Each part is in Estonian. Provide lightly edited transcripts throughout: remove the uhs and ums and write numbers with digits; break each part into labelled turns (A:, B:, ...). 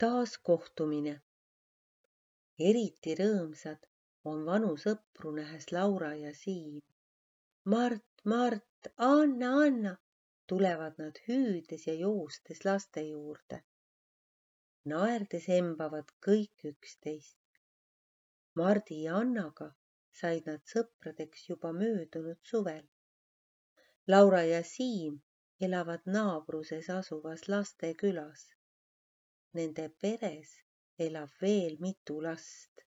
A: Taas kohtumine. Eriti rõõmsad on vanu sõpru nähes Laura ja Siim. Mart, Anna, tulevad nad hüüdes ja joostes laste juurde. Naerdes embavad kõik üksteist. Mardi ja Annaga said nad sõpradeks juba möödunud suvel. Laura ja Siim elavad naabruses asuvas lastekülas. Nende peres elab veel mitu last.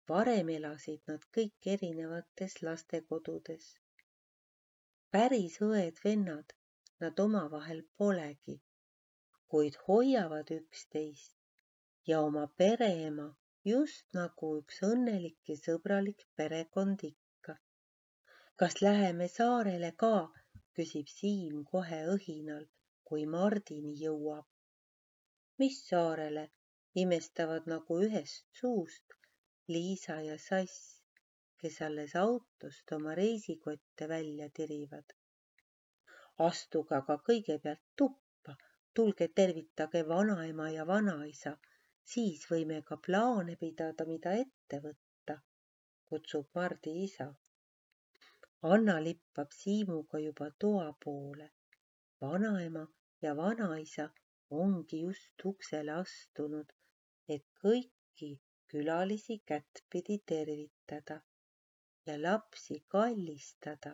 A: Varem elasid nad kõik erinevates lastekodudes. Päris õed-vennad nad omavahel polegi, kuid hoiavad üksteist ja oma pereema just nagu üks õnnelik ja sõbralik perekond ikka. Kas läheme saarele ka, küsib Siim kohe õhinal, kui Mardini jõuab. Mis saarele, imestavad nagu ühest suust Liisa ja Sass, kes alles autost oma reisikotte välja tirivad. Astuge aga kõigepealt tuppa, tulge tervitage vanaema ja vanaisa, siis võime ka plaane pidada, mida ette võtta, kutsub Mardi isa. Anna lippab Siimuga juba toa poole. Vanaema ja vanaisa ongi just uksele astunud, et kõiki külalisi kättpidi tervitada ja lapsi kallistada.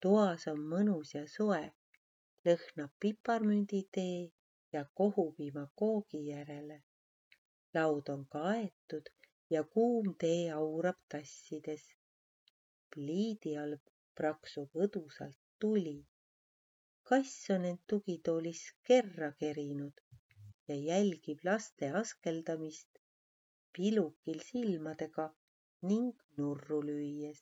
A: Toas on mõnus ja soe, lõhnab piparmünditee ja kohupiima koogi järele. Laud on kaetud ja kuum tee aurab tassides. Pliidi all praksub õdusalt tuli. Kass on end tugitoolis kerra kerinud ja jälgib laste askeldamist pilukil silmadega ning nurru lüües.